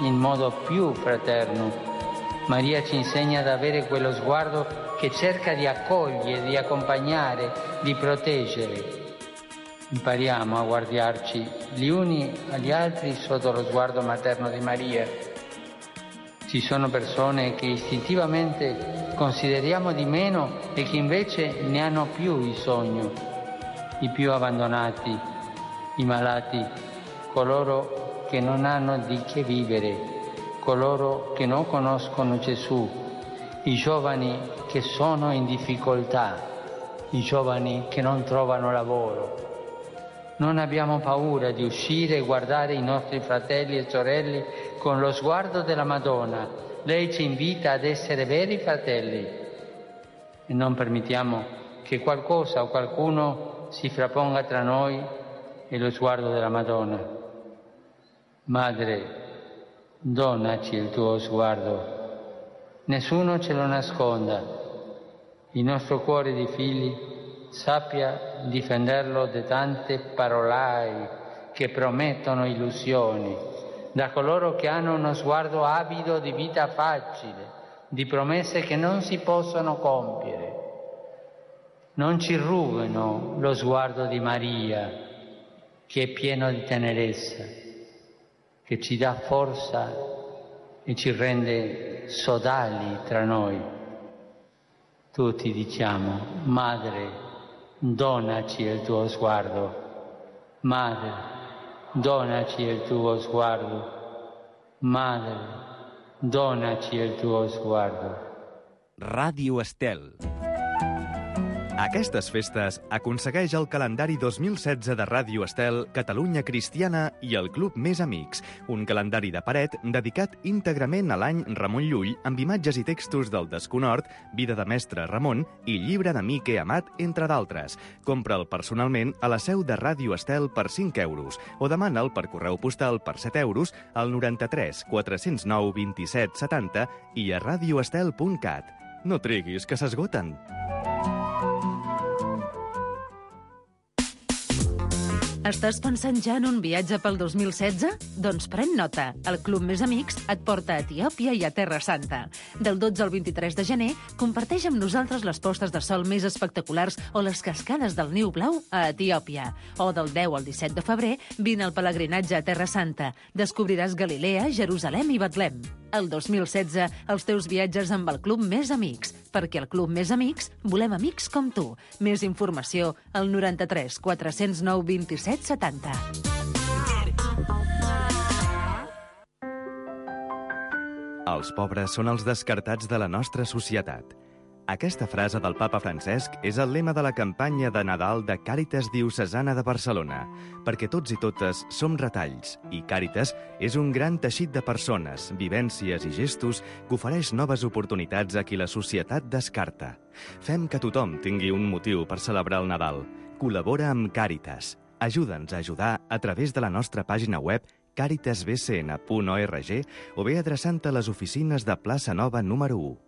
in modo più fraterno. Maria ci insegna ad avere quello sguardo che cerca di accogliere, di accompagnare, di proteggere. Impariamo a guardarci gli uni agli altri sotto lo sguardo materno di Maria. Ci sono persone che istintivamente consideriamo di meno e che invece ne hanno più bisogno, i più abbandonati, i malati, coloro che non hanno di che vivere, coloro che non conoscono Gesù, i giovani che sono in difficoltà, i giovani che non trovano lavoro. Non abbiamo paura di uscire e guardare i nostri fratelli e sorelle con lo sguardo della Madonna. Lei ci invita ad essere veri fratelli e non permettiamo che qualcosa o qualcuno si frapponga tra noi e lo sguardo della Madonna. Madre, donaci il tuo sguardo. Nessuno ce lo nasconda. Il nostro cuore di figli sappia difenderlo da tante parolai che promettono illusioni, da coloro che hanno uno sguardo avido di vita facile, di promesse che non si possono compiere. Non ci rubino lo sguardo di Maria, che è pieno di tenerezza, che ci dà forza e ci rende sodali tra noi. Tutti diciamo, Madre, donaci il tuo sguardo. Madre, donaci il tuo sguardo. Madre, donaci il tuo sguardo. Ràdio Estel. Aquestes festes aconsegueix el calendari 2016 de Ràdio Estel, Catalunya Cristiana i el Club Més Amics, un calendari de paret dedicat íntegrament a l'any Ramon Llull amb imatges i textos del Desconhort, Vida de Mestre Ramon i Llibre d'Amic he amat, entre d'altres. Compra'l personalment a la seu de Ràdio Estel per 5 euros o demana'l per correu postal per 7 euros al 93 409 27 70 i a radioestel.cat. No triguis, que s'esgoten. Estàs pensant ja en un viatge pel 2016? Doncs pren nota. El Club Més Amics et porta a Etiòpia i a Terra Santa. Del 12 al 23 de gener, comparteix amb nosaltres les postes de sol més espectaculars o les cascades del Niu Blau a Etiòpia. O del 10 al 17 de febrer, vine al pelegrinatge a Terra Santa. Descobriràs Galilea, Jerusalem i Betlem. El 2016, els teus viatges amb el Club Més Amics. Perquè al Club Més Amics volem amics com tu. Més informació al 93 409 27 70. Els pobres són els descartats de la nostra societat. Aquesta frase del papa Francesc és el lema de la campanya de Nadal de Càritas Diocesana de Barcelona, perquè tots i totes som retalls, i Càritas és un gran teixit de persones, vivències i gestos que ofereix noves oportunitats a qui la societat descarta. Fem que tothom tingui un motiu per celebrar el Nadal. Col·labora amb Càritas. Ajuda'ns a ajudar a través de la nostra pàgina web caritasbcn.org o bé adreçant-te a les oficines de Plaça Nova número 1.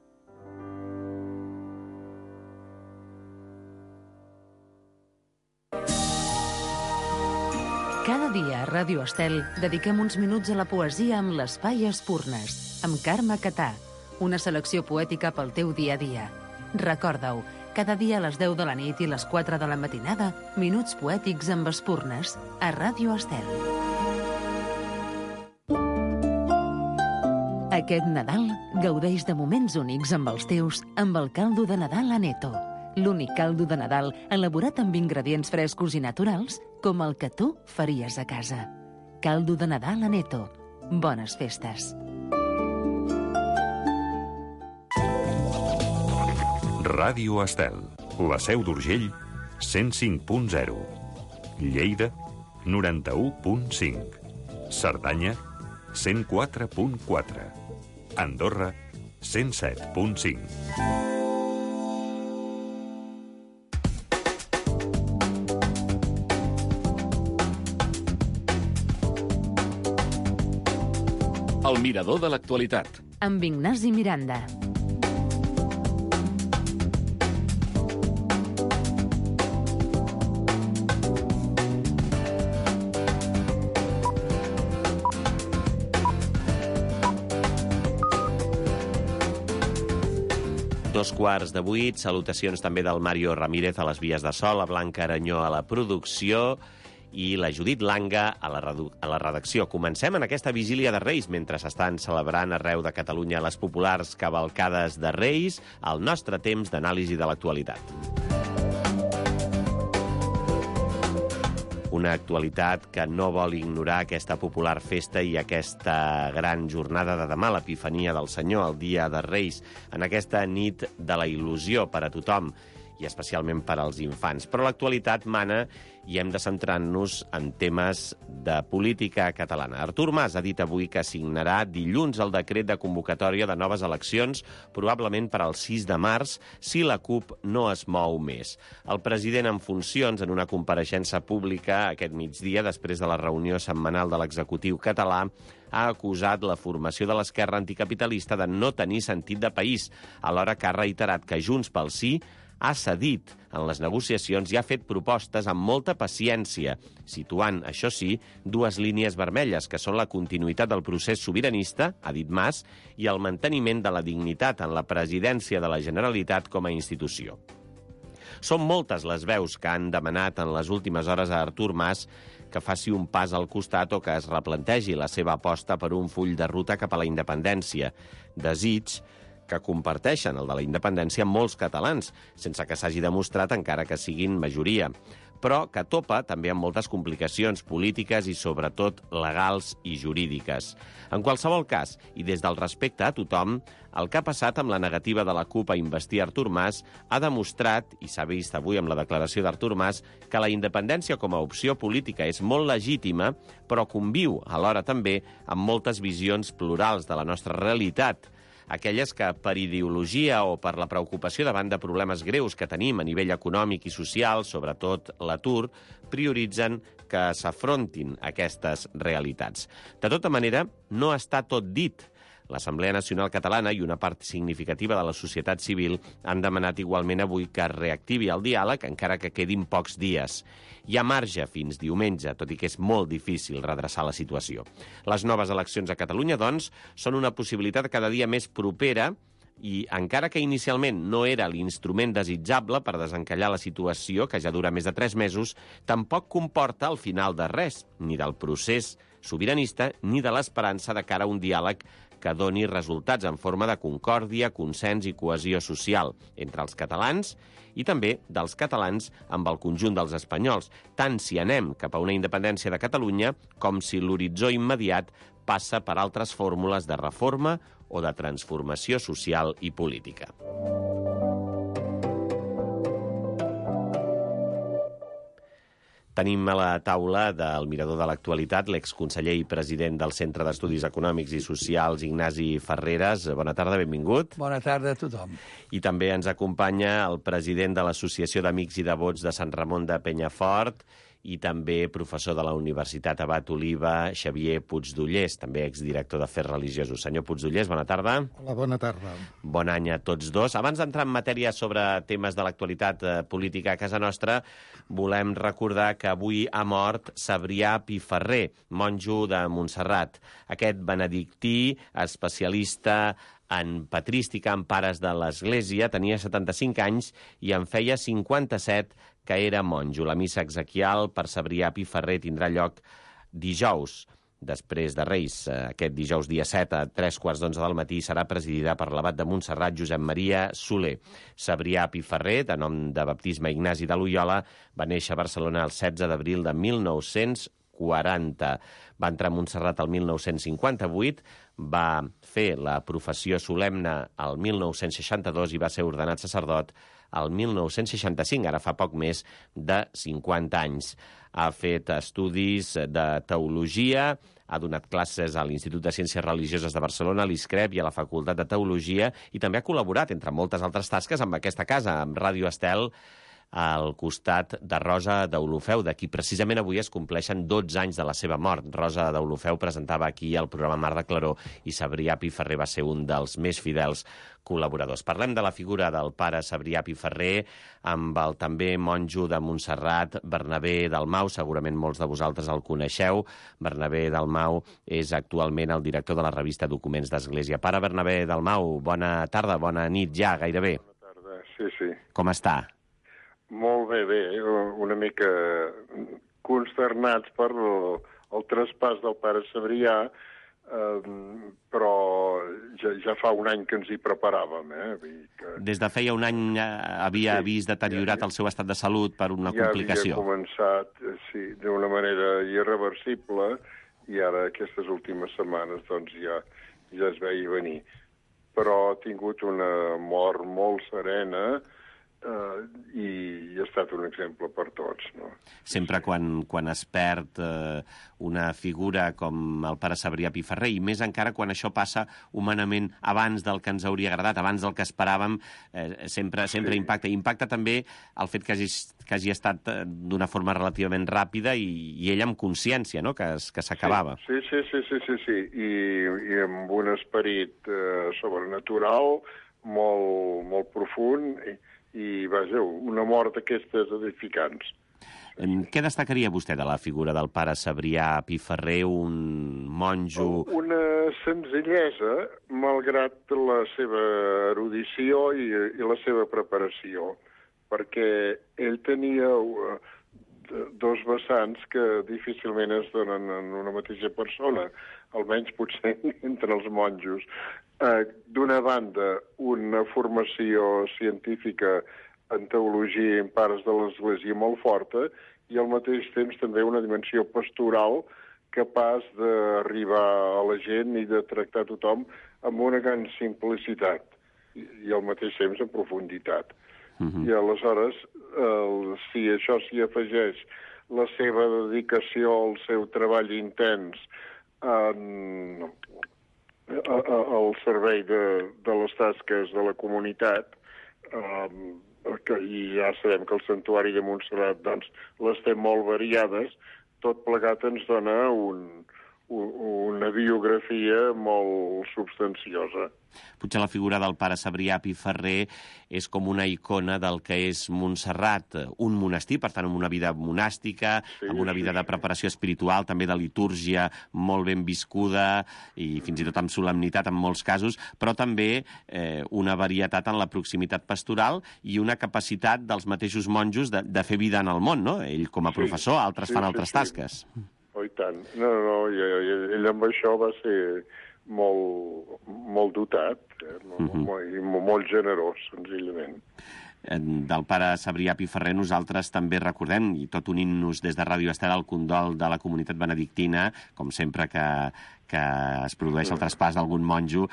Cada dia a Ràdio Estel dediquem uns minuts a la poesia amb l'Espai Espurnes, amb Carme Catà, una selecció poètica pel teu dia a dia. Recorda-ho, cada dia a les 10 de la nit i les 4 de la matinada, minuts poètics amb Espurnes, a Ràdio Estel. Aquest Nadal gaudeix de moments únics amb els teus amb el caldo de Nadal Aneto. L'únic caldo de Nadal elaborat amb ingredients frescos i naturals com el que tu faries a casa. Caldo de Nadal Aneto. Bones festes. Ràdio Estel, la Seu d'Urgell, 105.0. Lleida, 91.5. Cerdanya, 104.4. Andorra, 107.5. El mirador de l'actualitat. Amb Ignasi Miranda. 7:15, salutacions també del Mario Ramírez a les vies de so, la Blanca Aranyó a la producció i la Judit Langa a la redacció. Comencem en aquesta vigília de Reis, mentre s'estan celebrant arreu de Catalunya les populars cavalcades de Reis, el nostre temps d'anàlisi de l'actualitat. Una actualitat que no vol ignorar aquesta popular festa i aquesta gran jornada de demà, l'Epifania del Senyor, el dia de Reis, en aquesta nit de la il·lusió per a tothom, i especialment per als infants. Però l'actualitat mana i hem de centrar-nos en temes de política catalana. Artur Mas ha dit avui que signarà dilluns el decret de convocatòria de noves eleccions, probablement per al 6 de març, si la CUP no es mou més. El president en funcions, en una compareixença pública aquest migdia, després de la reunió setmanal de l'executiu català, ha acusat la formació de l'esquerra anticapitalista de no tenir sentit de país, alhora que ha reiterat que Junts pel Sí ha cedit en les negociacions i ha fet propostes amb molta paciència, situant, això sí, dues línies vermelles, que són la continuïtat del procés sobiranista, ha dit Mas, i el manteniment de la dignitat en la presidència de la Generalitat com a institució. Són moltes les veus que han demanat en les últimes hores a Artur Mas que faci un pas al costat o que es replantegi la seva aposta per un full de ruta cap a la independència. Desig que comparteixen el de la independència molts catalans, sense que s'hagi demostrat encara que siguin majoria, però que topa també amb moltes complicacions polítiques i, sobretot, legals i jurídiques. En qualsevol cas, i des del respecte a tothom, el que ha passat amb la negativa de la CUP a investir Artur Mas ha demostrat, i s'ha vist avui amb la declaració d'Artur Mas, que la independència com a opció política és molt legítima, però conviu alhora també amb moltes visions plurals de la nostra realitat, aquelles que per ideologia o per la preocupació davant de problemes greus que tenim a nivell econòmic i social, sobretot l'atur, prioritzen que s'afrontin aquestes realitats. De tota manera, no està tot dit. L'Assemblea Nacional Catalana i una part significativa de la societat civil han demanat igualment avui que es reactivi el diàleg, encara que quedin pocs dies. Hi ha marge fins diumenge, tot i que és molt difícil redreçar la situació. Les noves eleccions a Catalunya, doncs, són una possibilitat cada dia més propera i, encara que inicialment no era l'instrument desitjable per desencallar la situació, que ja dura més de 3 mesos, tampoc comporta el final de res, ni del procés sobiranista ni de l'esperança de cara a un diàleg que doni resultats en forma de concòrdia, consens i cohesió social entre els catalans i també dels catalans amb el conjunt dels espanyols, tant si anem cap a una independència de Catalunya com si l'horitzó immediat passa per altres fórmules de reforma o de transformació social i política. Tenim a la taula del Mirador de l'Actualitat l'exconseller i president del Centre d'Estudis Econòmics i Socials, Ignasi Ferreres. Bona tarda, benvingut. Bona tarda a tothom. I també ens acompanya el president de l'Associació d'Amics i Devots de Sant Ramon de Penyafort i també professor de la Universitat Abat Oliva, Xavier Puigdollers, també exdirector d'Afers Religiosos. Senyor Puigdollers, bona tarda. Hola, bona tarda. Bon any a tots dos. Abans d'entrar en matèria sobre temes de l'actualitat política a casa nostra, volem recordar que avui ha mort Cebrià Piferrer, monjo de Montserrat. Aquest benedictí, especialista en patrística en pares de l'Església, tenia 75 anys i en feia 57 que era monjo. La missa exequial per Cebrià Piferrer tindrà lloc dijous, després de Reis. Aquest dijous, dia 7, a 3:15 del matí, serà presidida per l'abat de Montserrat, Josep Maria Soler. Cebrià Piferrer, de nom de baptisme Ignasi de Loiola, va néixer a Barcelona el 16 d'abril de 1940. Va entrar a Montserrat el 1958, va fer la professió solemne el 1962 i va ser ordenat sacerdot el 1965, ara fa poc més de 50 anys. Ha fet estudis de teologia, ha donat classes a l'Institut de Ciències Religioses de Barcelona, a l'ISCREP i a la Facultat de Teologia, i també ha col·laborat, entre moltes altres tasques, amb aquesta casa, amb Ràdio Estel, al costat de Rosa Deulofeu, de qui precisament avui es compleixen 12 anys de la seva mort. Rosa Deulofeu presentava aquí el programa Mar de Claror i Cebrià Pi Ferrer va ser un dels més fidels col·laboradors. Parlem de la figura del pare Cebrià Pi Ferrer amb el també monjo de Montserrat, Bernabé Dalmau. Segurament molts de vosaltres el coneixeu. Bernabé Dalmau és actualment el director de la revista Documents d'Església. Pare Bernabé Dalmau, bona tarda, bona nit ja, gairebé. Bona tarda, sí. Com està? Molt bé, una mica consternats per el traspàs del pare Cebrià, però ja fa un any que ens hi preparàvem. Vull dir que Des de feia un any havia vist deteriorat el seu estat de salut per una complicació. Ja havia començat, sí, d'una manera irreversible, i ara aquestes últimes setmanes doncs ja es veia venir. Però ha tingut una mort molt serena, i ha estat un exemple per tots, no? Sempre quan es perd una figura com el pare Cebrià Pi Ferrer, i més encara quan això passa humanament abans del que ens hauria agradat, abans del que esperàvem, sempre impacta. Impacta també el fet que hagi estat d'una forma relativament ràpida i ell amb consciència, no?, que s'acabava. Sí. I amb un esperit sobrenatural molt profund, i vaja, una mort d'aquestes edificants. Què destacaria vostè de la figura del pare Cebrià Pi Ferrer, un monjo? Una senzillesa, malgrat la seva erudició i la seva preparació, perquè ell tenia dos vessants que difícilment es donen en una mateixa persona, almenys potser entre els monjos. D'una banda, una formació científica en teologia i en pares de l'Església molt forta, i al mateix temps també una dimensió pastoral capaç d'arribar a la gent i de tractar tothom amb una gran simplicitat i al mateix temps en profunditat. I aleshores, si això s'hi afegeix la seva dedicació al seu treball intens al servei de les tasques de la comunitat, i ja sabem que el santuari de Montserrat doncs, les té molt variades, tot plegat ens dona una biografia molt substanciosa. Potser la figura del pare Cebrià Pi Ferrer és com una icona del que és Montserrat, un monestir, per tant, amb una vida monàstica, amb una vida de preparació espiritual, també de litúrgia molt ben viscuda i fins i tot amb solemnitat en molts casos, però també una varietat en la proximitat pastoral i una capacitat dels mateixos monjos de fer vida en el món, no? Ell com a professor, altres fan altres tasques. Oh, i tant. No, ell amb això va ser molt dotat, molt generós, senzillament. Del pare Cebrià Pi Ferrer nosaltres també recordem, i tot unint-nos des de Ràdio Estel, el condol de la comunitat benedictina, com sempre que es produeix el traspàs d'algun monjo,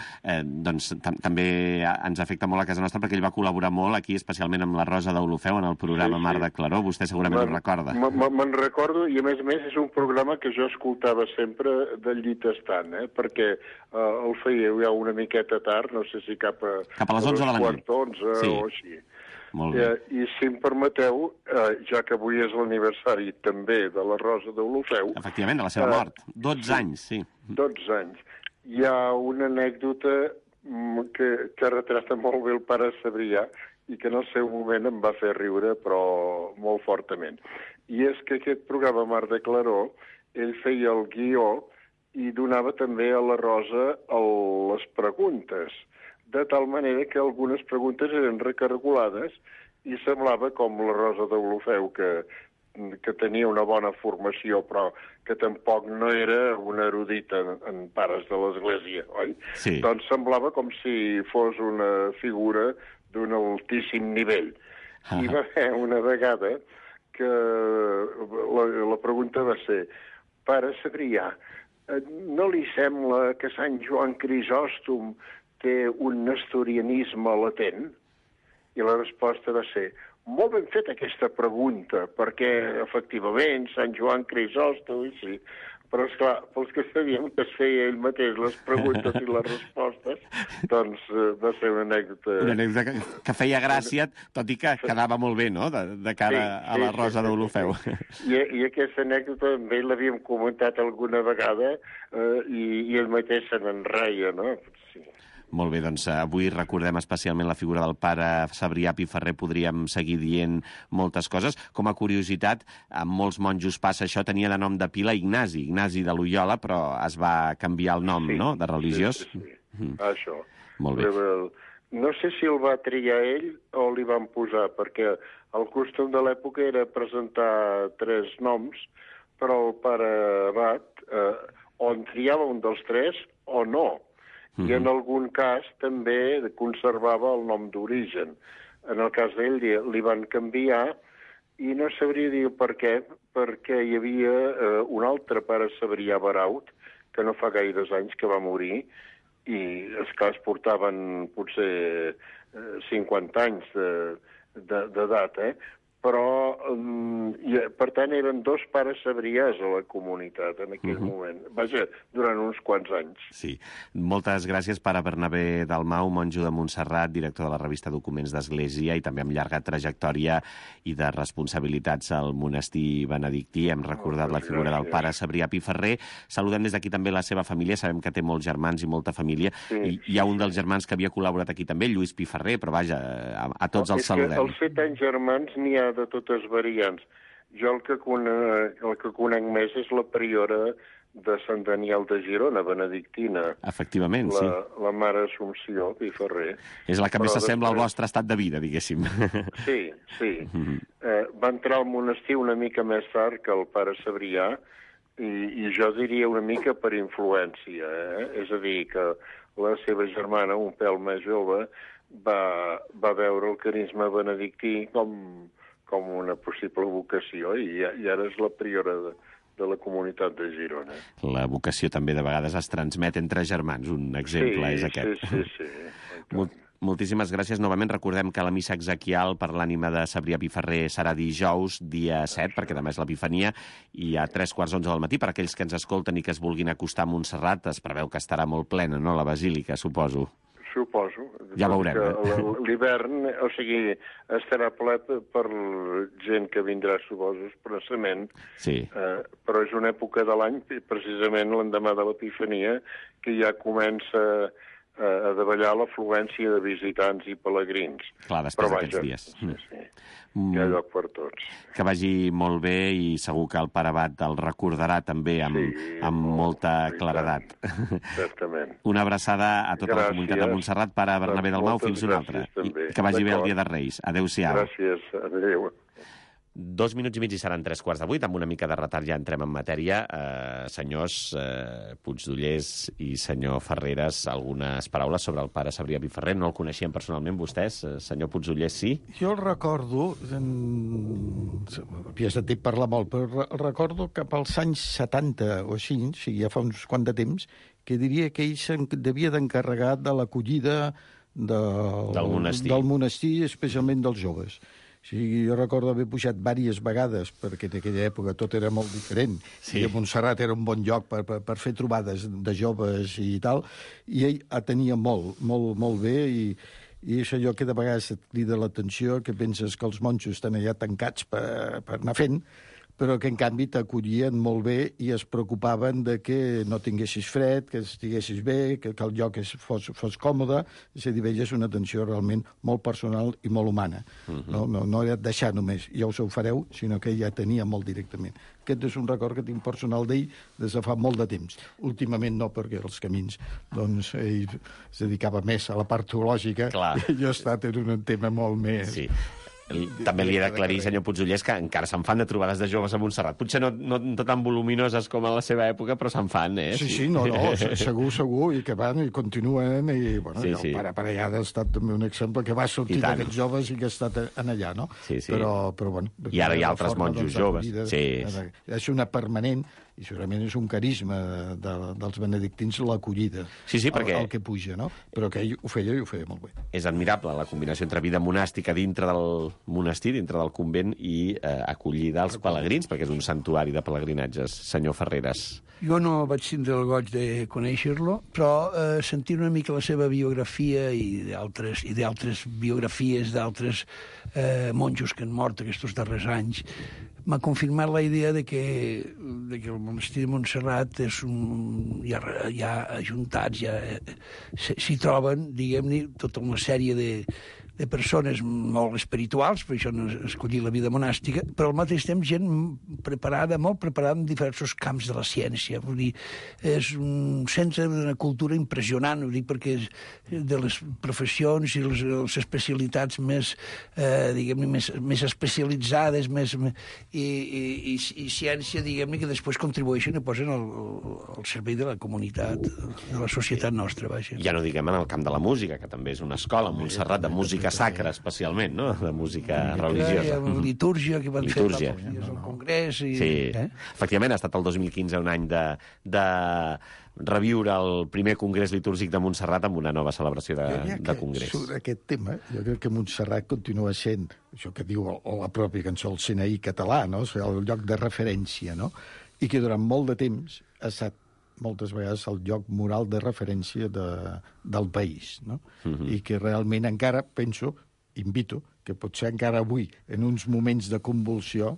doncs també ens afecta molt a casa nostra, perquè ell va col·laborar molt aquí, especialment amb la Rosa Deulofeu, en el programa Mar de Claror. Vostè segurament ho recorda. Me'n recordo, i a més és un programa que jo escoltava sempre del llit estant, perquè el fèieu ja una miqueta tard, no sé si cap a les 11 de la nit. 11 o així. Molt bé. I si em permeteu, ja que avui és l'aniversari també de la Rosa Deulofeu... Efectivament, de la seva mort. 12 anys, sí. 12 anys. Hi ha una anècdota que retrata molt bé el pare Cebrià i que en el seu moment em va fer riure, però molt fortament. I és que aquest programa Mar de Claror, ell feia el guió i donava també a la Rosa les preguntes, de tal manera que algunes preguntes eren recargolades i semblava com la Rosa Deulofeu, que tenia una bona formació, però que tampoc no era una erudita en pares de l'Església, oi? Sí. Doncs semblava com si fos una figura d'un altíssim nivell. I va haver una vegada que la pregunta va ser: pare Cebrià, no li sembla que Sant Joan Crisòstom té un nestorianisme latent? I la resposta va ser: molt ben feta aquesta pregunta, perquè, efectivament, Sant Joan Crisòstom, sí, Però, esclar, pels que sabíem que es feia ell mateix les preguntes i les respostes, doncs va ser una anècdota... Una anècdota que feia gràcia, tot i que quedava molt bé, no?, de cara a la Rosa d'Olofeu. I aquesta anècdota amb ell l'havíem comentat alguna vegada i ell mateix se n'enreia, no? Sí. Molt bé, doncs avui recordem especialment la figura del pare Cebrià Piferrer, podríem seguir dient moltes coses. Com a curiositat, amb molts monjos passa això, tenia de nom de pila Ignasi de Loyola, però es va canviar el nom, no?, de religiós. Sí. Això. Molt bé. No sé si el va triar ell o li van posar, perquè el costum de l'època era presentar 3 noms, però el pare abat o en triava un dels 3 o no. I en algun cas també conservava el nom d'origen. En el cas d'ell li van canviar i no sabria dir per què, perquè hi havia un altre pare Cebrià Baraut, que no fa gaires anys que va morir, i esclar, es portaven potser 50 anys d'edat, però, per tant, eren 2 pares Cebriàs a la comunitat en aquell moment. Vaja, durant uns quants anys. Sí. Moltes gràcies, pare Bernabé Dalmau, monjo de Montserrat, director de la revista Documents d'Església i també amb llarga trajectòria i de responsabilitats al monestir benedictí. Hem recordat la figura del pare Cebrià Piferrer. Saludem des d'aquí també la seva família. Sabem que té molts germans i molta família. I hi ha un dels germans que havia col·laborat aquí també, Lluís Piferrer, però vaja, a tots els saludem. Els 7 anys germans n'hi ha de totes variants. Jo el que conec més és la priora de Sant Daniel de Girona, benedictina. Efectivament, sí. La mare Assumpció Piferrer. És la que més s'assembla al vostre estat de vida, diguéssim. Sí. Va entrar al monestir una mica més tard que el pare Cebrià i jo diria una mica per influència. És a dir, que la seva germana, un pèl més jove, va veure el carisma benedictí com una possible vocació i ara és la priora de la comunitat de Girona. La vocació també de vegades es transmet entre germans. Un exemple és aquest. Sí. Moltíssimes gràcies. Novament recordem que la missa exequial per l'ànima de Cebrià Piferrer serà dijous, dia 7, perquè demà és l'Epifania, i a 3:45 del matí. Per aquells que ens escolten i que es vulguin acostar a Montserrat, es preveu que estarà molt plena, no?, la basílica, suposo. Suposo. Ja veurem. L'hivern, o sigui, estarà ple per gent que vindrà, suposo, expressament. Sí. Però és una època de l'any, precisament l'endemà de l'Epifania, que ja comença a davallar l'afluència de visitants i pelegrins. Clar, després d'aquests dies. Sí. Hi ha lloc per tots. Que vagi molt bé i segur que el pare abat el recordarà també amb molta claredat. Certament. Una abraçada a tota la comunitat de Montserrat, pare Bernabé Dalmau, fins una altra. I que vagi bé el dia de Reis. Adéu-siau. Gràcies, adéu. 2 minuts i mig i seran 7:45. Amb una mica de retard ja entrem en matèria. Senyors Puigdollers i senyor Ferreres, algunes paraules sobre el pare Cebrià Piferrer. No el coneixien personalment vostès? Senyor Puigdollers, sí? Jo el recordo, havia sentit parlar molt, però recordo que pels anys 70 o així, o sigui, ja fa uns quant de temps, que diria que ell devia d'encarregar de l'acollida del monestir, especialment dels joves. Sí, jo recordo haver pujat diverses vegades, perquè en aquella època tot era molt diferent, i a Montserrat era un bon lloc per fer trobades de joves i tal, i ell atenia molt bé, i és allò que de vegades et crida l'atenció, que penses que els monjos estan allà tancats per anar fent, però que en canvi t'acollien molt bé i es preocupaven de que no tinguessis fred, que estiguessis bé, que el lloc fos còmode. És a dir, veies una atenció realment molt personal i molt humana. No era deixar només, ja us ho fareu, sinó que ja tenia molt directament. Aquest és un record que tinc personal d'ell des de fa molt de temps. Últimament no, perquè els camins, doncs, ell es dedicava més a la part teològica. I jo he estat en un tema molt més... Sí. També li he d'aclarir, senyor Puigdollers, que encara se'n fan de trobades de joves a Montserrat. Potser no tan voluminoses com a la seva època, però se'n fan, Sí, segur, i que van i continuen, i bueno, el pare allà ha estat també un exemple que va sortir d'aquests joves i que ha estat allà, no? Sí. Però bueno... I ara hi ha altres monjos joves. És una permanent, I segurament és un carisma dels benedictins l'acollida, perquè el que puja, no? Però que ell ho feia molt bé. És admirable la combinació entre vida monàstica dintre del monestir, dintre del convent, i acollida als pelegrins, perquè és un santuari de pelegrinatges. Senyor Ferreres. Jo no vaig tindre el goig de conèixer-lo, però sentir una mica la seva biografia i d'altres biografies d'altres monjos que han mort aquests darrers anys m'ha confirmat la idea de que el monestir de Montserrat hi ha ajuntats, s'hi troben, diguem-ne, tota una sèrie de persones molt espirituals, per això no escollir la vida monàstica, però al mateix temps gent preparada, molt preparada en diversos camps de la ciència. Vull dir, és un centre d'una cultura impressionant, vull dir, perquè de les professions i les especialitats més, diguem-ne, més especialitzades, i ciència, diguem-ne, que després contribueixen i posen al servei de la comunitat, de la societat nostra, vaja. Ja no diguem en el camp de la música, que també és una escola, Montserrat, de música sacra, especialment, no?, de música religiosa. Litúrgia, que van fer al Congrés. Sí, efectivament, ha estat el 2015 un any de reviure el primer Congrés Litúrgic de Montserrat amb una nova celebració de Congrés. Sobre aquest tema, jo crec que Montserrat continua sent, això que diu la pròpia cançó, el CNI català, no?, el lloc de referència, no?, i que durant molt de temps ha estat moltes vegades el lloc moral de referència del país, no? I que realment encara, penso, invito, que potser encara avui, en uns moments de convulsió,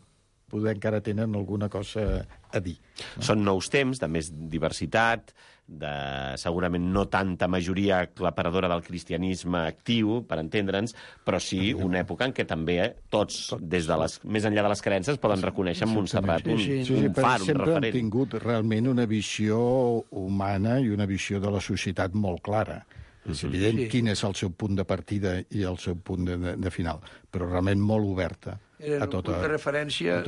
poder encara tenen alguna cosa a dir. No? Són nous temps, de més diversitat, de segurament no tanta majoria aclaparadora del cristianisme actiu, per entendre'ns, però sí una època en què també tots, des de més enllà de les creences, poden reconèixer en Montserrat un far, un referent. Sempre han tingut realment una visió humana i una visió de la societat molt clara. És evident quin és el seu punt de partida i el seu punt de final, però realment molt oberta. Era un punt de referència,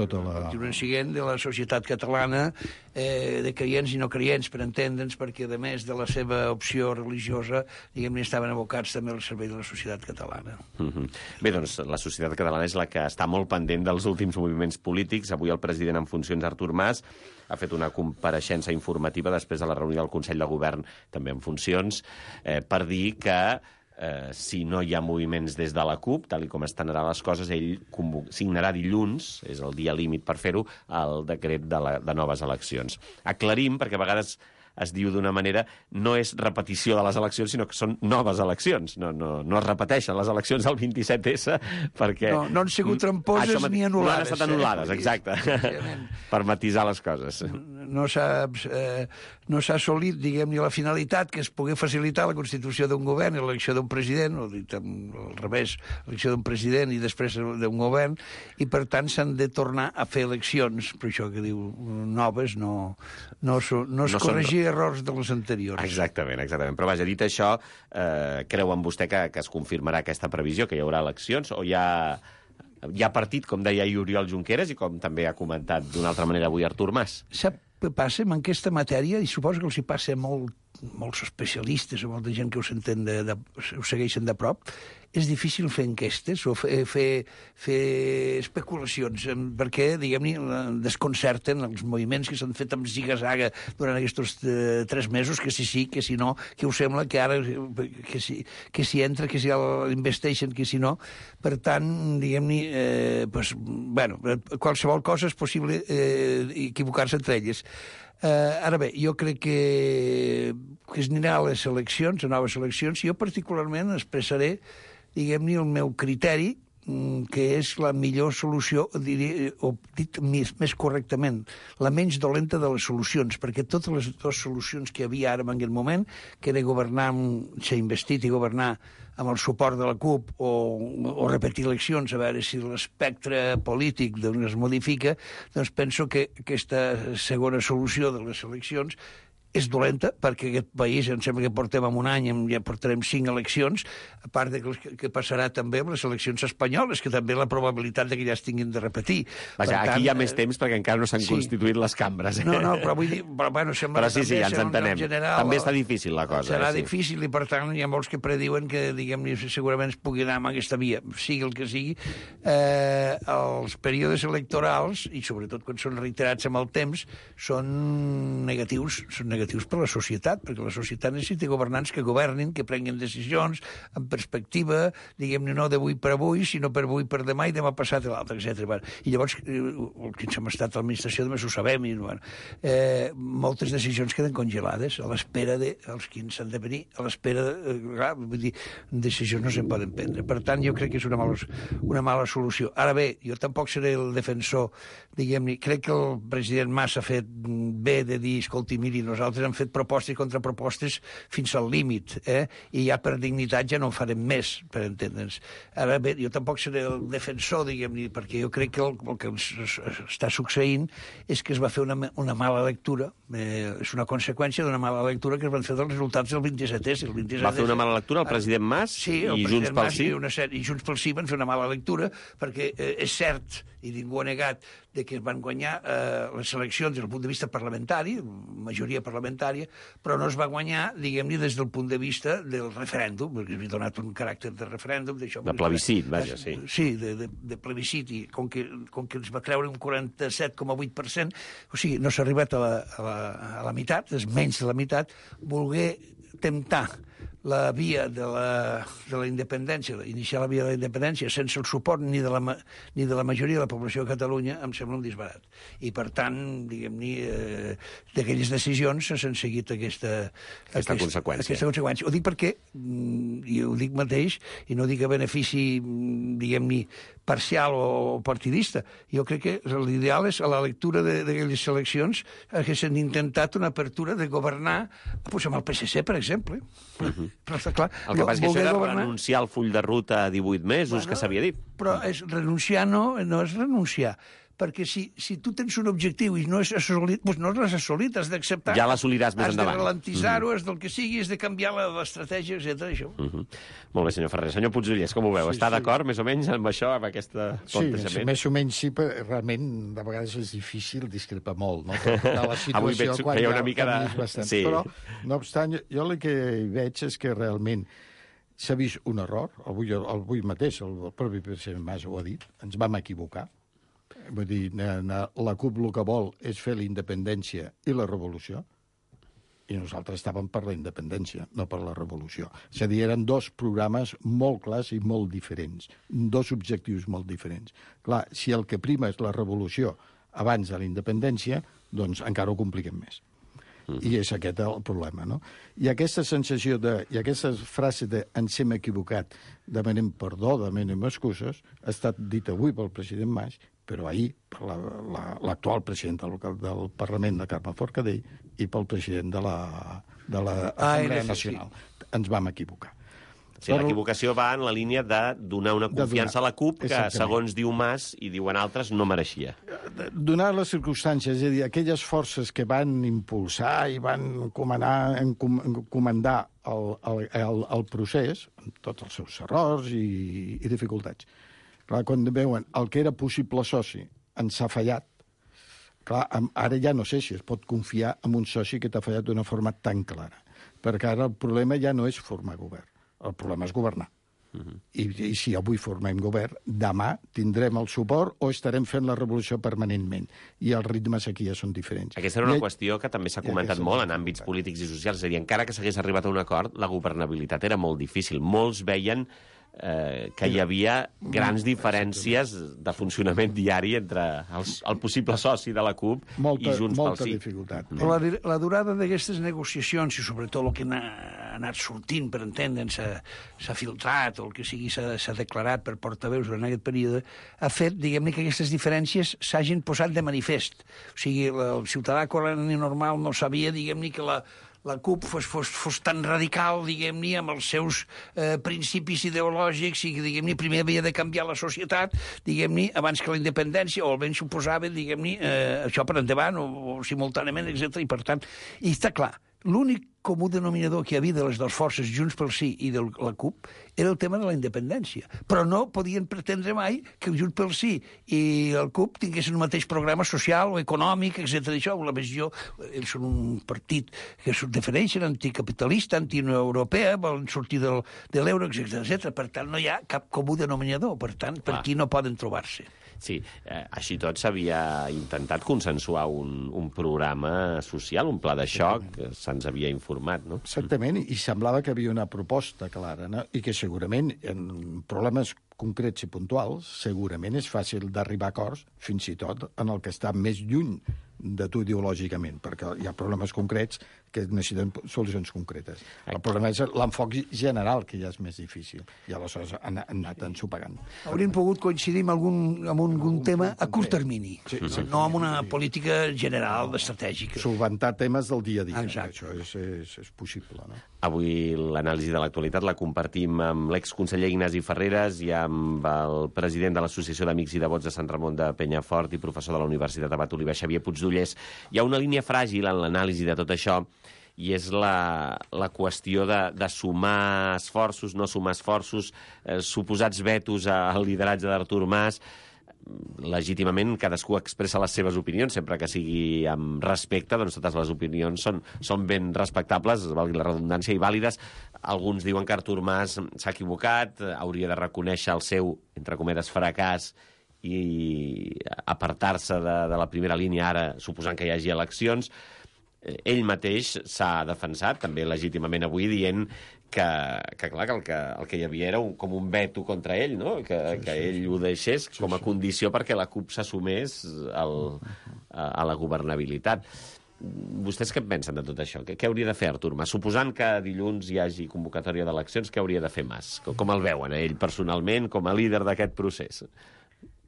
siguent, de la societat catalana, de creients i no creients, per entendre'ns, perquè, a més de la seva opció religiosa, diguem-ne, estaven abocats també al servei de la societat catalana. Bé, doncs, la societat catalana és la que està molt pendent dels últims moviments polítics. Avui el president en funcions, Artur Mas, ha fet una compareixença informativa després de la reunió del Consell de Govern, també en funcions, per dir que si no hi ha moviments des de la CUP, tal com estan ara les coses, ell signarà dilluns, és el dia límit per fer-ho, el decret de noves eleccions. Aclarim, perquè a vegades es diu d'una manera, no és repetició de les eleccions, sinó que són noves eleccions. No es repeteixen les eleccions del 27S, perquè... No han sigut tramposes ni anul·lades. No han estat anul·lades, exacte, per matisar les coses. No s'ha assolit, diguem-ne, la finalitat, que es pugui facilitar la constitució d'un govern i l'elecció d'un president, o dit al revés, l'elecció d'un president i després d'un govern, i per tant s'han de tornar a fer eleccions, per això que diu noves, no es corregir errors de les anteriors. Exactament. Però vaja, dit això, creuen vostè que es confirmarà aquesta previsió, que hi haurà eleccions, o hi ha partit, com deia Oriol Junqueras, i com també ha comentat d'una altra manera avui Artur Mas? Sap què passa en aquesta matèria? I suposo que els hi passa molts especialistes o molta gent que ho segueixen de prop. És difícil fer enquestes o fer especulacions, perquè, diguem-ne, desconcerten els moviments que s'han fet amb ziga-zaga durant aquests 3 mesos, que sí, que si no, que us sembla que ara que si entra, que si l'investeixen, que si no. Per tant, diguem-ne, qualsevol cosa és possible equivocar-se entre elles. Ara bé, jo crec que es anirà a les eleccions, a noves eleccions, i jo particularment expressaré, diguem-ne, el meu criteri, que és la millor solució, o dit més correctament, la menys dolenta de les solucions, perquè totes les dues solucions que hi havia ara en aquest moment, que era governar, ser investit i governar amb el suport de la CUP o repetir eleccions, a veure si l'espectre polític es modifica, doncs penso que aquesta segona solució de les eleccions és dolenta, perquè aquest país, em sembla que portem en un any, ja portarem 5 eleccions, a part de que passarà també amb les eleccions espanyoles, que també la probabilitat que ja es tinguin de repetir. Vaja, aquí hi ha més temps perquè encara no s'han constituït les cambres. No, però vull dir... Bueno, però sí, ja ens entenem. També està difícil la cosa. Serà difícil i, per tant, hi ha molts que prediuen que, diguem-ne, segurament es pugui anar amb aquesta via. Sigui el que sigui, els períodes electorals, i sobretot quan són reiterats amb el temps, són negatius per la societat, perquè la societat necessita governants que governin, que prenguin decisions amb perspectiva, diguem-ne, no d'avui per avui, sinó per avui per demà i demà passat l'altre, etc. I llavors, els que hem estat a l'administració només ho sabem, i moltes decisions queden congelades a l'espera dels que s'han de venir, a l'espera vull dir, decisions no se'n poden prendre. Per tant, jo crec que és una mala solució. Ara bé, jo tampoc seré el defensor, diguem-ne, crec que el president Mas ha fet bé de dir, escolti, miri, nosaltres han fet propostes i contrapropostes fins al límit, i ja per dignitat ja no en farem més, per entendre'ns. Ara bé, jo tampoc seré el defensor, diguem-ne, perquè jo crec que el que ens està succeint és que es va fer una mala lectura, és una conseqüència d'una mala lectura que es van fer dels resultats del 27è. Va fer una mala lectura el president Mas i Junts pel Sí? I Junts pel Sí van fer una mala lectura perquè és cert, i ningú ha negat, que es van guanyar les eleccions des del punt de vista parlamentari, majoria parlamentària, però no es va guanyar, diguem-ne, des del punt de vista del referèndum, perquè havia donat un caràcter de referèndum. De plebiscit, vaja, sí. Sí, de plebiscit, i com que ens va treure un 47,8%, o sigui, no s'ha arribat a la meitat, és menys de la meitat, voler temptar la via de la independència, iniciar la via de la independència sense el suport ni de la majoria de la població de Catalunya, em sembla un disbarat. I, per tant, diguem-ne, d'aquelles decisions s'han seguit aquesta conseqüència. Ho dic perquè, i ho dic mateix, i no dic a benefici, diguem-ne, parcial o partidista. Jo crec que l'ideal és, a la lectura d'aquelles eleccions, que s'han intentat una apertura de governar amb el PSC, per exemple. Però està clar, el que passa que això era renunciar al full de ruta a 18 mesos, que s'havia dit. Però renunciar no és renunciar, perquè si tu tens un objectiu i no és assolit, doncs no l'has assolit, has d'acceptar. Ja l'assoliràs més endavant. Has de ralentisar-ho, has del que sigui, has de canviar l'estratègia, etc. Això. Molt bé, senyor Ferrer. Senyor Puigdollers, com ho veu? Està d'acord, més o menys, amb això, amb aquest plantejament? Sí, més o menys sí, però realment de vegades és difícil discrepar molt, no? Avui veig que hi ha una mica de... Sí. Però, no obstant, jo el que hi veig és que realment s'ha vist un error. Avui mateix el propi president Mas ho ha dit, ens vam equivocar. Vull dir, la CUP el que vol és fer la independència i la revolució, i nosaltres estàvem per la independència, no per la revolució. És a dir, eren dos programes molt clars i molt diferents, dos objectius molt diferents. Clar, si el que prima és la revolució abans de la independència, doncs encara ho compliquem més. I és aquest el problema, no? I aquesta sensació i aquesta frase de ens hem equivocat, demanem perdó, demanem excuses, ha estat dit avui pel president Mas, però ahir per l'actual president del Parlament, de Carme Forcadell, i pel president de l'Assemblea Nacional. Ens vam equivocar. Sí, l'equivocació va en la línia de donar una confiança a la CUP que, segons diu Mas i diuen altres, no mereixia. Donar les circumstàncies, és a dir, aquelles forces que van impulsar i van comandar el procés, amb tots els seus errors i dificultats. Clar, quan veuen el que era possible soci ens ha fallat, clar, ara ja no sé si es pot confiar en un soci que t'ha fallat d'una forma tan clara, perquè ara el problema ja no és formar govern. El problema és governar. I si avui formem govern, demà tindrem el suport o estarem fent la revolució permanentment. I els ritmes aquí ja són diferents. Aquesta era una qüestió que també s'ha comentat molt en àmbits polítics i socials. És a dir, encara que s'hagués arribat a un acord, la governabilitat era molt difícil. Molts veien que hi havia grans diferències de funcionament diari entre el possible soci de la CUP i Junts pel Sí. Molta dificultat. Però la durada d'aquestes negociacions, i sobretot el que ha anat sortint, per entendre'ns, s'ha filtrat, o el que sigui s'ha declarat per portaveus durant aquest període, ha fet, diguem-ne, que aquestes diferències s'hagin posat de manifest. O sigui, el ciutadà corrent i normal no sabia, diguem-ne, que la CUP fos tan radical, diguem-ne, amb els seus principis ideològics i, diguem-ne, primer havia de canviar la societat, diguem-ne, abans que la independència, o almenys suposava, diguem-ne, això per endavant, o simultàniament, etc. I, per tant, i està clar, l'únic comú denominador que hi havia de les dues forces, Junts pel Sí i de la CUP, era el tema de la independència. Però no podien pretendre mai que el Junts pel Sí i el CUP tinguessin un mateix programa social o econòmic, etc. Això, la visió, ells són un partit que es defineixen anticapitalista, anti-Unió Europea, volen sortir de l'euro, etc. Per tant, no hi ha cap comú denominador. Per tant, per aquí no poden trobar-se. Sí, així tot s'havia intentat consensuar un programa social, un pla de xoc, se'ns havia informat, no? Exactament, i semblava que havia una proposta clara, no? I que segurament en problemes concrets i puntuals segurament és fàcil d'arribar a acords, fins i tot en el que està més lluny de tu ideològicament, perquè hi ha problemes concrets que necessiten solucions concretes. El problema és l'enfoc general, que ja és més difícil, i aleshores han anat ensopegant. Hauríem pogut coincidir amb algun tema a curt termini, no amb una política general, estratègica. Solventar temes del dia a dia. Exacte. Això és possible, no? Avui l'anàlisi de l'actualitat la compartim amb l'exconseller Ignasi Ferreres i amb el president de l'Associació d'Amics i Devots de Sant Ramon de Penyafort i professor de la Universitat Abat Oliver, Xavier Puigdollers. Hi ha una línia fràgil en l'anàlisi de tot això, i és la qüestió de sumar esforços, no sumar esforços, suposats vetos al lideratge d'Artur Mas. Legítimament cadascú expressa les seves opinions, sempre que sigui amb respecte, doncs totes les opinions són ben respectables, valgui la redundància, i vàlides. Alguns diuen que Artur Mas s'ha equivocat, hauria de reconèixer el seu, entre cometes, fracàs i apartar-se de la primera línia ara, suposant que hi hagi eleccions. Ell mateix s'ha defensat, també legítimament avui, dient que clar, que el que hi havia era com un veto contra ell, no? Que ell ho deixés com a condició perquè la CUP s'assumés a la governabilitat. Vostès què pensen de tot això? Què hauria de fer Artur Mas? Suposant que dilluns hi hagi convocatòria d'eleccions, què hauria de fer Mas? Com el veuen, ell personalment, com a líder d'aquest procés?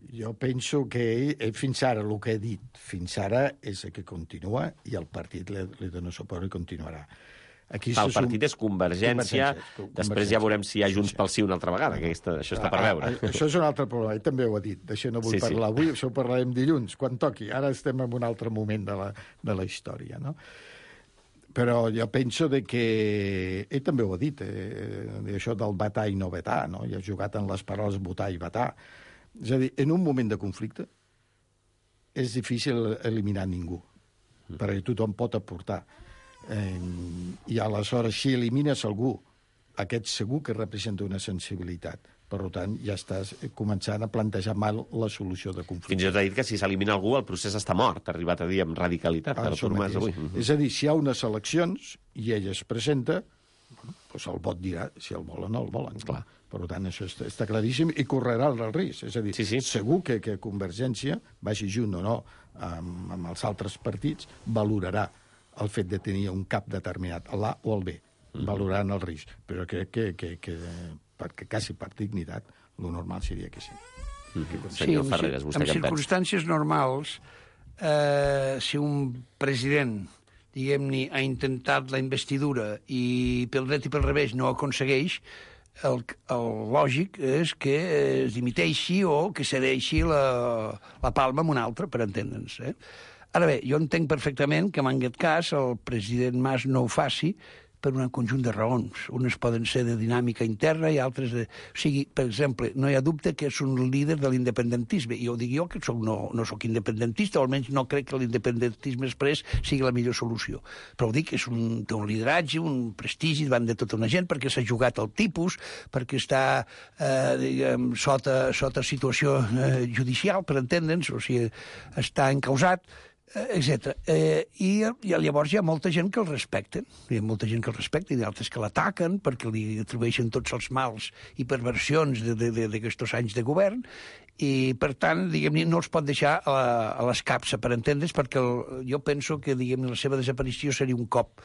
Jo penso que ell fins ara, el que he dit fins ara, és que continua i el partit li dona suport i continuarà. El partit és Convergència, després ja veurem si hi ha Junts pel Sí una altra vegada, que això està per veure. Això és un altre problema, ell també ho ha dit, d'això no vull parlar avui, això ho parlarem dilluns, quan toqui. Ara estem en un altre moment de la història, no? Però jo penso que ell també ho ha dit, això del vetar i no vetar, no? I ha jugat en les paraules votar i vetar. És a dir, en un moment de conflicte és difícil eliminar ningú, perquè tothom pot aportar. I aleshores, si elimines algú, aquest segur que representa una sensibilitat. Per tant, ja estàs començant a plantejar mal la solució de conflicte. Fins i tot ha dit que si s'elimina algú, el procés està mort, ha arribat a dir amb radicalitat. Artur Mas avui. És a dir, si hi ha unes eleccions i ell es presenta, doncs el vot dirà si el volen o no el volen. Clar. Per tant, això està claríssim i correrà el risc. És a dir, segur que Convergència, vagi junt o no amb els altres partits, valorarà el fet de tenir un cap determinat, l'A o el B, valorant el risc. Però crec que perquè quasi per dignitat, el normal seria que sí. Senyor Ferreres, vostè què pensa? En circumstàncies normals, si un president, diguem-ne, ha intentat la investidura i pel dret i pel revés no aconsegueix, el lògic és que es dimiteixi o que cedeixi la palma amb un altre, per entendre'ns. Ara bé, jo entenc perfectament que en aquest cas el president Mas no ho faci per un conjunt de raons. Unes poden ser de dinàmica interna i altres de... O sigui, per exemple, no hi ha dubte que és un líder de l'independentisme. I ho dic jo, que no soc independentista, o almenys no crec que l'independentisme express sigui la millor solució. Però ho dic, té un lideratge, un prestigi davant de tota una gent, perquè s'ha jugat al tipus, perquè està sota situació judicial, per entendre'ns, o sigui, està encausat, etc. I llavors hi ha molta gent que el respecten. Hi ha molta gent que el respecta i d'altres que l'ataquen perquè li atribueixen tots els mals i perversions d'aquests anys de govern i, per tant, diguem-ne, no els pot deixar a l'escapça, per entendre's, perquè jo penso que, diguem-ne, la seva desaparició seria un cop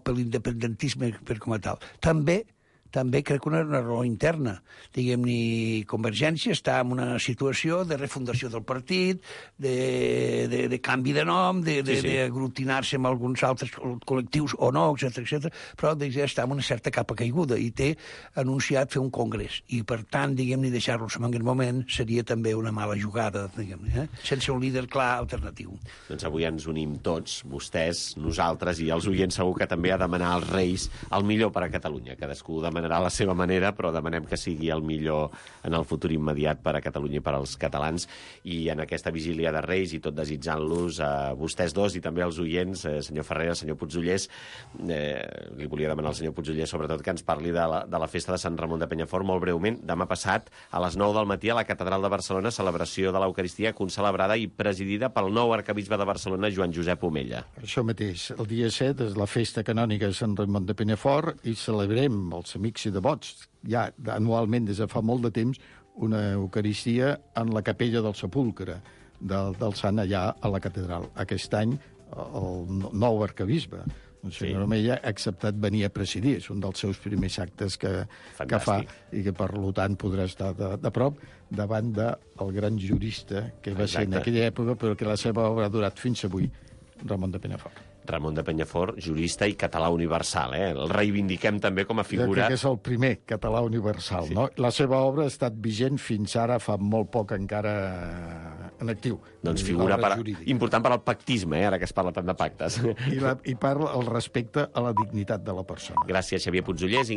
a l'independentisme com a tal. També també crec que una raó interna. Diguem-ne, Convergència està en una situació de refundació del partit, de canvi de nom, d'aglutinar-se amb alguns altres col·lectius o no, etc, però està en una certa capa caiguda i té anunciat fer un congrés. I, per tant, diguem-ne, deixar-los en aquest moment seria també una mala jugada, diguem-ne, sense un líder clar alternatiu. Doncs avui ens unim tots, vostès, nosaltres i els oients segur que també a demanar als Reis el millor per a Catalunya. Cadascú demanarà a la seva manera, però demanem que sigui el millor en el futur immediat per a Catalunya i per als catalans. I en aquesta vigília de Reis i tot desitjant-los a vostès dos i també als oients, senyor Ferrer, senyor Puigdollers, li volia demanar al senyor Puigdollers sobretot que ens parli de la festa de Sant Ramon de Penyafort molt breument. Demà passat, a les 9 del matí, a la Catedral de Barcelona, celebració de l'Eucaristia concelebrada i presidida pel nou arcabisbe de Barcelona, Joan Josep Omella. Això mateix. El dia 7 és la festa canònica de Sant Ramon de Penyafort i celebrem, els amics i devots, ja anualment des de fa molt de temps, una Eucaristia en la capella del Sepulcre del Sant allà a la catedral. Aquest any, el nou arcabisbe, el senyor Omella, ha acceptat venir a presidir. És un dels seus primers actes que fa i que, per tant, podrà estar de prop davant del gran jurista que va ser en aquella època, però que la seva obra ha durat fins avui, Ramon de Penyafort. Ramon de Penyafort, jurista i català universal. El reivindiquem també com a figura... Que és el primer català universal. No? La seva obra ha estat vigent fins ara, fa molt poc encara en actiu. Doncs figura important per al pactisme, ara que es parla tant de pactes. I parla el respecte a la dignitat de la persona. Gràcies, Xavier Puigdollers.